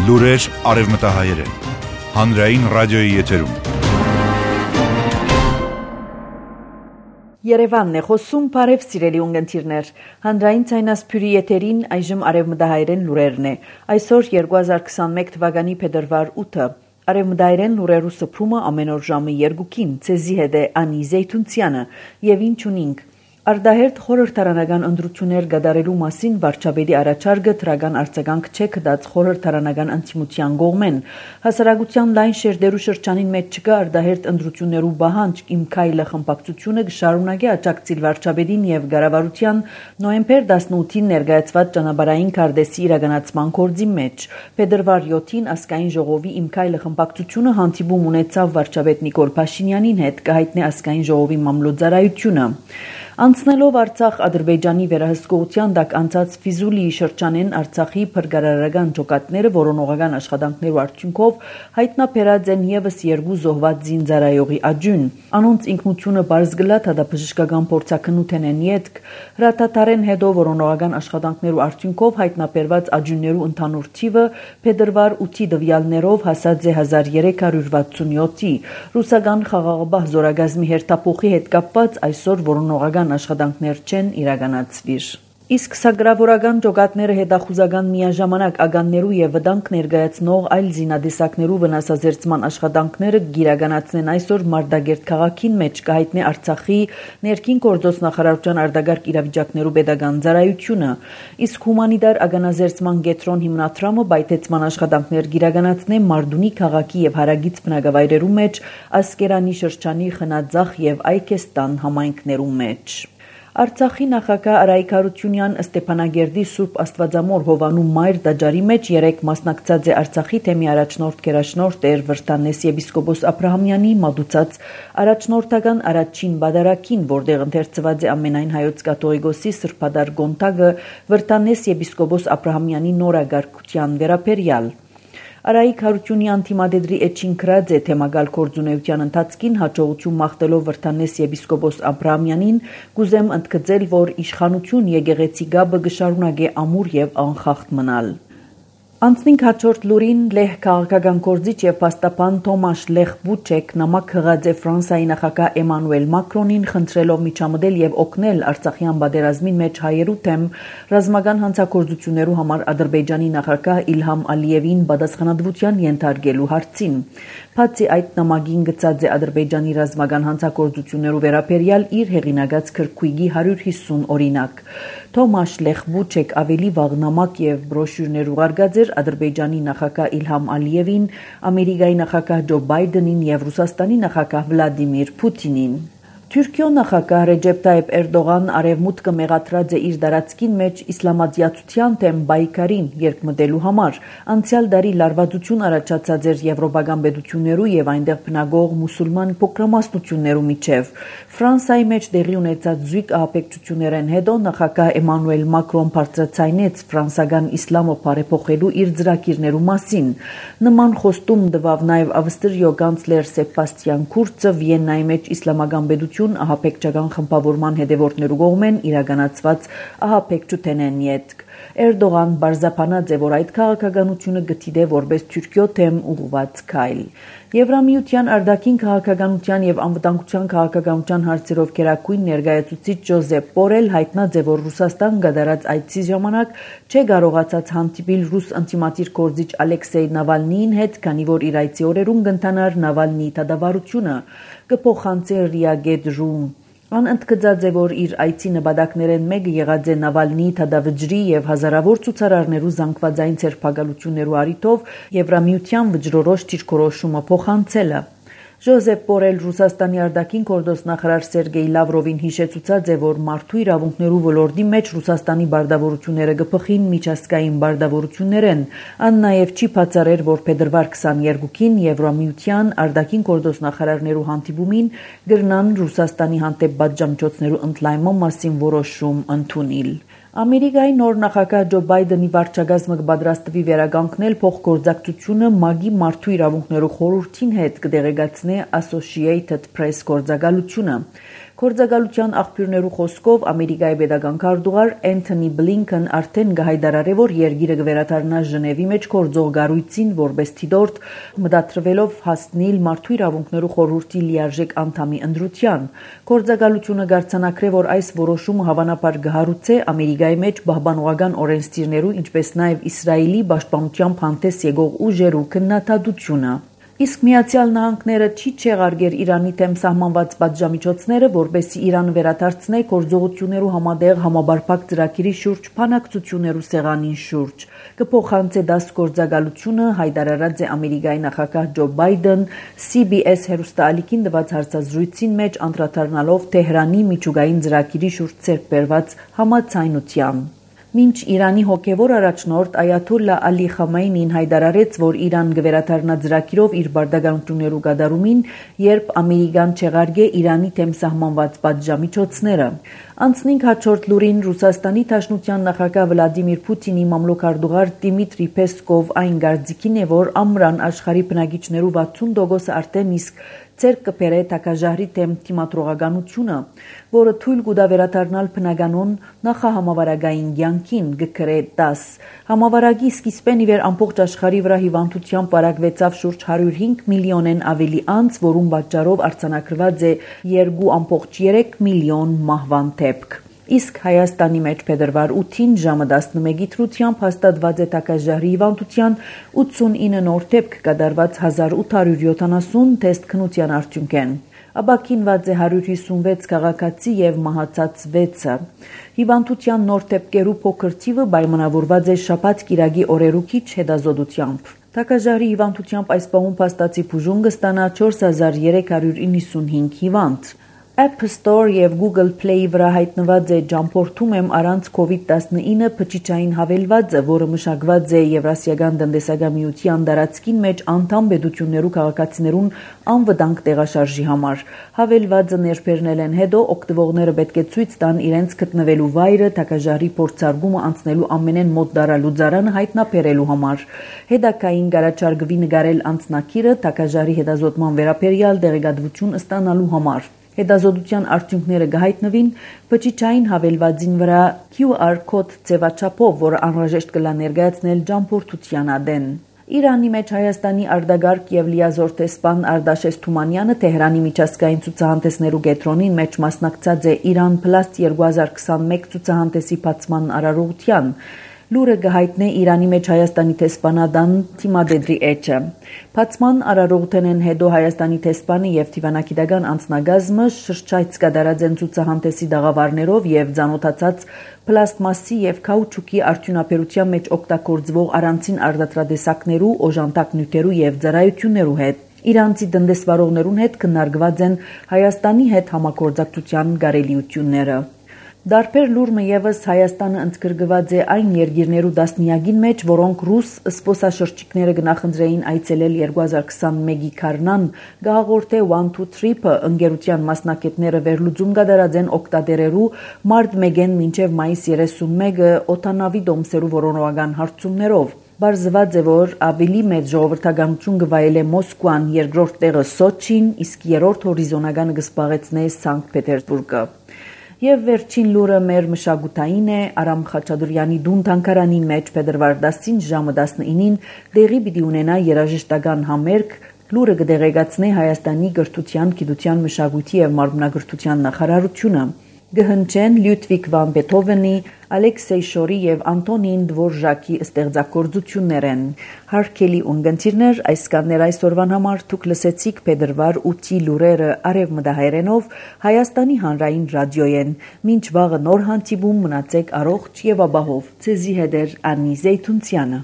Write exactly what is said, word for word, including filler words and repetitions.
Լուրեր արևմտահայերեն։ Հանրային ռադիոյի եթերում։ Երևանն է խոսում, բարև սիրելի ունգընտիրներ։ Հանրային ցայնասփյուրի եթերին այժմ արևմտահայերեն լուրերն է։ Այսօր երկու հազար քսանմեկ թվականի փետրվար ութը։ Արևմտահայերեն լուրերու սփրումը ամեն օր ժամը երկուքին ցեզի հետ է Անի Զեյթունցյանը եւ ինչ ունինք։ Արդահերթ խորհրդարանական ընտրություններ գդարելու մասին վարչապետի առաջարկը թրական արձագանք չէ կդած խորհրդարանական անցիմության կողմեն։ Հասարակության լայն շերտերու շրջանին մեջ չկա արդահերթ ընտրություններու բահանջ իմ քայլը խմբակցությունը կշարունակի աջակցել վարչապետին եւ ղարավարության նոյեմբեր տասնութին ներկայացված ճանապարհային քարտեզի իրականացման գործի մեջ։ Փետրվար յոթին ազգային ժողովի իմ քայլը խմբակցությունը հանդիպում ունեցավ վարչապետ Նիկոլ Փաշինյանին հետ կհայտնի ազգային ժողովի մամլոյցարայությունը։ Անցնելով Արցախ Ադրբեջանի վերահսկողության տակ անցած Ֆիզուլիի շրջանեն Արցախի փրկարարական ջոկատները որոնողական աշխատանքներու արդյունքով հայտնաբերած են եւս երկու զոհված զինծառայողի աջուն։ Անոնց ինքնությունը բարձ գլա դատաբժշկական փորձակնութեն են յետք հրատատարեն հետո որոնողական աշխատանքներու արդյունքով հայտնաբերված աջուններու ընդհանուր թիվը փետրվար ութի տվյալներով հասած է հազար երեք հարյուր վաթսունյոթի։ Ռուսական խաղաղապահ զորագազմի հերթափոխի հետ կապված այսօր որոնողական աշխատանքներ չեն իրականացվիր։ Իսկ սագրավորական ջոկատները հետախուզական միաժամանակ ագաններու եւ վտանգ ներկայացնող այլ զինադեսակներու վնասազերծման աշխատանքները գիրականացնեն այսօր Մարտակերտ քաղաքին մեջ կհայտնի Արցախի ներքին գործոց նախարարության արտագարկ իրավիճակներու pedagogan ծառայությունը։ Իսկ հումանիտար ագանազերծման կենտրոն հիմնադրամը բայթեցման աշխատանքներ գիրականացնե Մարդունի քաղաքի եւ հարագից բնակավայրերու մեջ Ասկերանի շրջանի Խնաձախ եւ Այգեստան համայնքներու մեջ։ Արցախի նախագահ Արայիկ Հարությունյան Ստեփանագերդի Սուրբ Աստվածամոր Հովանու Մայր տաճարի մեջ երեք մասնակցած է Արցախի թեմի առաջնորդ գերաշնորհ Տեր Վրտանես եպիսկոպոս Աբրահամյանի մատուցած առաջնորդական առաջին բադարակին, որտեղ ընթերցված է ամենայն հայոց կաթողիկոսի սրբադար գոնտագը Վրտանես եպիսկոպոս Աբրահամյանի նորագարկության վերաբերյալ։ Արայիկ Հարությունյան թիմադեդրի էջին գրած է թեմագալ գործունեության ընթացքին հաջողություն մաղթելով Վրտանես եպիսկոպոս Աբրահամյանին գուզեմ ընդգծել, որ իշխանություն եկեղեցի գաբը կշարունակի ամուր եւ անխախտ մնալ։ Անցնինք հաջորդ լուրին լեհ քաղաքական գործիչ եւ փաստաբան Թոմաշ Լեխ Բուչեկ նամակ հղած է Ֆրանսիայի նախագահ Էմանուել Մակրոնին խնդրելով միջամտել եւ օգնել Արցախյան պատերազմին մեջ հայերու թեմ ռազմական հանցագործություններու համար Ադրբեջանի նախագահ Իլհամ Ալիևին պատասխանատվության ենթարկելու հարցին։ Բացի այդ նամակին գծած է Ադրբեջանի ռազմական հանցագործություններու վերաբերյալ իր հեղինակած քրքույգի հարյուր հիսուն օրինակ։ Թոմաշ Լեխ Բուչեկ ավելի վաղ նամակ եւ բրոշյուրներ ուղարկած էր Ադրբեջանի նախագահ Իլհամ Ալիևին, Ամերիկայի նախագահ Ջո Բայդենին եւ Ռուսաստանի նախագահ Վլադիմիր Պուտինին։ Թուրքիո նախագահ Ռեջեփ Տայիփ Էրդողան արևմուտքը մեղադրած է իր դարածքին մեջ իսլամատյացության թեմ բայկարին երկմտելու համար։ Անցյալ դարի լարվածություն առաջացած էր եվրոպական պետություններու եւ այնտեղ բնակող մուսուլման փոքրամասնություններու միջև։ Ֆրանսիայի մեջ տեղի ունեցած զույգ ահաբեկչություններեն հետո նախագահ Էմանուել Մակրոն բարձրացնեց ֆրանսական իսլամը բարեփոխելու իր ծրագիրներու մասին։ Նման խոստում տվավ նաեւ Ավստրիո կանցլեր Սեբաստիան Կուրցը Վիեննայի մեջ իսլամական պետություն ահաբեկչական խմբավորման հետևորդներու կողմեն իրականացված ահաբեկչութեն են յետք։ Էրդողան բարձրաբանած է, որ այդ քաղաքականությունը գտիդե որպես Թուրքիո թեմ ուղղված քայլ։ Եվրամիության արտաքին քաղաքականության եւ անվտանգության քաղաքականության հարցերով գերագույն ներկայացուցիչ Ջոզեփ Բորել հայտնած է, որ Ռուսաստան գդարած այցի ժամանակ չէ կարողացած հանդիպել ռուս անտիմատիր գործիչ Ալեքսեյ Նավալնիին հետ, քանի որ իր այցի օրերուն կընթանար Նավալնիի դատավարությունը կփոխանցի Ռիագեդժում։ Ան ընդգծած է, որ իր այցի նպատակներեն մեկը եղած է Նավալնիի դատավճրի եւ հազարավոր ցուցարարներու զանգվածային ցերպակալություններու առիթով Եվրամիության վճռորոշ դիրքորոշումը փոխանցելը։ Ջոզեփ Բորել Ռուսաստանի արտաքին գործնախարար Սերգեյ Լավրովին հիշեցուցած է, որ մարդու իրավունքներու ոլորտի մեջ Ռուսաստանի բարդավորությունները կփխին միջազգային բարդավորություններեն։ Ան նաեւ չի բացառել, որ փետրվար քսաներկուին Եվրամիության արտաքին գործնախարարներու հանդիպումին գրնան Ռուսաստանի հանդեպ պատժամիջոցներու ընդլայնման մասին որոշում ընդունել։ Ամերիկայի նոր նախագահ Ջո Բայդենի վարչակազմը կպատրաստվի վերականգնել փոխգործակցությունը ՄԱԳ-ի մարդու իրավունքներու խորհրդին հետ կդեղեկացնի Associated Press գործակալությունը։ Գործակալության աղբյուրներու խոսքով Ամերիկայի պետական քարտուղար Էնթոնի Բլինքեն արդեն գահայդարարե, որ երկիրը կվերադառնա Ժնևի մեջ գործող գառույցին որպես թիդորդ, մտադրվելով հասնել մարդու իրավունքներու խորհրդի լիարժեք անդամի ընտրության։ Գործակալությունը գարցանակրե, որ այս որոշումը հավանաբար կհարուցե Ամերիկայի մեջ պահպանողական օրենսդիրներու, ինչպես նաև Իսրայելի պաշտպանությամբ հանդես եկող ուժերու քննադատությունը։ Իսկ Միացյալ Նահանգները չի չեղարկեր Իրանի դեմ սահմանված պատժամիջոցները, որպեսզի Իրանը վերադարձնե գործողություններու համատեղ համաբարփակ ծրագիրի շուրջ բանակցություններու սեղանին շուրջ։ Կփոխանցե դաս գործակալությունը հայտարարած է Ամերիկայի նախագահ Ջո Բայդեն C B S հեռուստաալիքին տված հարցազրույցին մեջ անդրադառնալով Թեհրանի միջուկային ծրագիրի շուրջ ձեռք բերված համաձայնության։ Մինչ Իրանի հոգևոր առաջնորդ Այաթոլլա Ալի Խամեյնին հայտարարեց, որ Իրան կվերադառնա ծրագիրով իր բարդագանություններու կատարումին, երբ Ամերիկան չեղարկե Իրանի դեմ սահմանված պատժամիջոցները։ Անցնինք հաջորդ լուրին Ռուսաստանի Դաշնության նախագահ Վլադիմիր Պուտինի մամլոքարտուղար Դիմիտրի Պեսկով այն գարձիկին է, որ ամռան աշխարհի բնակիչներու վաթսուն տոկոսը արդեն իսկ ցերկ կբերե տակաժահրի դեմ դիմադրողականությունը, որը թույլ կուտա վերադառնալ բնականոն նախահամավարակային կյանքին, գկրե տաս։ Համավարակի սկիզբեն ի վեր ամբողջ աշխարհի վրա հիվանդությամբ վարակվեցավ շուրջ հարյուր հինգ միլիոնեն ավելի անց, որում պատճառով արձանագրված է երկու կόμ երեք միլիոն մահվան դեպք։ Իսկ Հայաստանի մեջ փետրվար ութին ժամը տասնմեկի դրությամբ հաստատված է տակաժահրի հիվանդության ութսունինը նոր դեպք կատարված հազար ութ հարյուր յոթանասուն թեստ քնության արդյունքեն։ Ապաքինված է հարյուր հիսունվեց քաղաքացի եւ մահացած վեցը։ Հիվանդության նոր դեպքերու փոքր թիվը պայմանավորված է շաբաթ կիրակի օրերու քիչ հետազոտությամբ։ Տակաժահրի հիվանդությամբ այս պահում փաստացի բուժում կստանա չորս հազար երեք հարյուր իննսունհինգ հիվանդ։ App Store եւ Google Play վրա հայտնված է «Ճամփորդում եմ առանց կովիդ տասնինը» բջիջային հավելվածը, որը մշակված է Եվրասիական տնտեսական միության տարածքին մեջ անդամ պետություններու քաղաքացիներուն անվտանգ տեղաշարժի համար։ Հավելվածը ներբեռնել են հետո օգտվողները պետք է ցույց տան իրենց գտնվելու վայրը տակաժահրի փորձարկումը անցնելու ամենեն մոտ դարալուծարանը հայտնաբերելու համար։ Հետագային գարաչարգվի նկարել անձնակիրը տակաժահրի հետազոտման վերաբերյալ տեղեկատվություն ստանալու համար։ Հետազոտության արդյունքները կհայտնվին բջիջային հավելվածին վրա Q R կոդ ձևաչափով, որը անհրաժեշտ կլա ներկայացնել ճամփորդության ադեն։ Իրանի մեջ Հայաստանի արտագաղթ եւ լիազոր տեսփան Արտաշես Թումանյանը Թեհրանի միջազգային ցուցահանդեսներու կենտրոնին մեջ մասնակցած է Իրան Plus երկու հազար քսանմեկ ցուցահանդեսի բացման արարողության։ Լուրը կհայտնե Իրանի մեջ Հայաստանի տեսփանադան Թիմադեդրի էջը։ Բացման արարողութենեն հետո Հայաստանի տեսփանը եւ դիվանագիտական անձնագազմը շրջայց կատարած են ցուցահանդեսի դաղավարներով եւ ցանոթացած պլաստմասի եւ քաուչուկի արդյունաբերության մեջ օգտագործվող առանցին արտադրատեսակներու, օժանդակ նյութերու եւ ծառայություններու հետ։ Իրանցի տնտեսվարողներուն հետ քննարկված են Հայաստանի հետ համագործակցության կարելիությունները։ Դարբեր լուրը եւս Հայաստանը ընդգրկված է այն երկիրներու դասնիագին մեջ, որոնք ռուս սպոսաշրջիկները գնահատեին այցելել երկու հազար քսանմեկի քարնան, գահաղորդե one two trip-ը ընկերության մասնակիցները վերլուծում կատարած են օկտատերերու մարտ մեկին մինչև մայիս երեսունմեկը օտանավի դոմսերու որոնողական հարցումներով։ Բարձված է, որ ավելի մեծ ժողովրդականություն կվայելե Մոսկվան, երկրորդ տեղը Սոչին, իսկ երրորդ հորիզոնականը կզբաղեցնե Սանկտ Պետերբուրգը։ Եվ վերջին լուրը մեր մշակութային է Արամ Խաչատուրյանի դուն թանգարանի մեջ փետրվար տասին ժամը տասնինին տեղի պիտի ունենա երաժշտական համերգ, լուրը կդեղեկացնե Հայաստանի կրթության, գիտության, մշակույթի եւ մարմնագրթության նախարարությունը։ Գհնչեն Լյուդվիգ վան Բեթհովենի, Ալեքսեյ Շորի եւ Անտոնին Դվորժակի ստեղծագործություններ են։ Հարգելի ունգընտիրներ, այսքաններ այսօրվան համար դուք լսեցիք փետրվար ութի լուրերը արևմտահայերենով Հայաստանի հանրային ռադիոյեն։ Մինչ վաղը նոր հանդիպում մնացեք առողջ եւ ապահով։ Ձեզի հետ է Անի Զեյթունցյանը։